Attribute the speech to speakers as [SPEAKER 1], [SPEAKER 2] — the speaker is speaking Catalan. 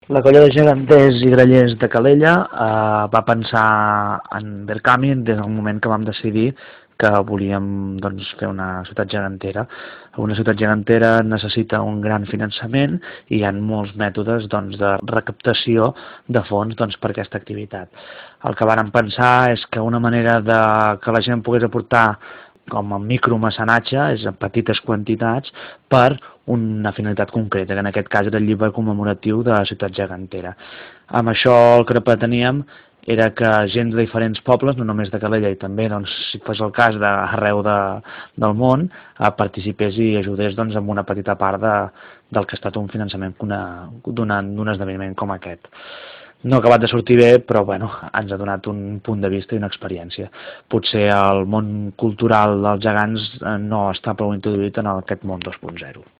[SPEAKER 1] La colla de geganters i grallers de Calella va pensar en Verkami des del moment que vam decidir que volíem doncs, fer una ciutat gegantera. Una ciutat gegantera necessita un gran finançament i hi ha molts mètodes doncs, de recaptació de fons doncs, per a aquesta activitat. El que vàrem pensar és que una manera de que la gent pogués aportar com a micromecenatge, és en petites quantitats, per una finalitat concreta, que en aquest cas era el llibre commemoratiu de la ciutat gegantera. Amb això el que preteníem era que gent de diferents pobles, no només de Calella, i també, doncs, si fos el cas, d'arreu del món, participés i ajudés doncs, amb una petita part del que ha estat un finançament d'un esdeveniment com aquest. No ha acabat de sortir bé, però bueno, ens ha donat un punt de vista i una experiència. Potser el món cultural dels gegants no està prou introduït en aquest món 2.0.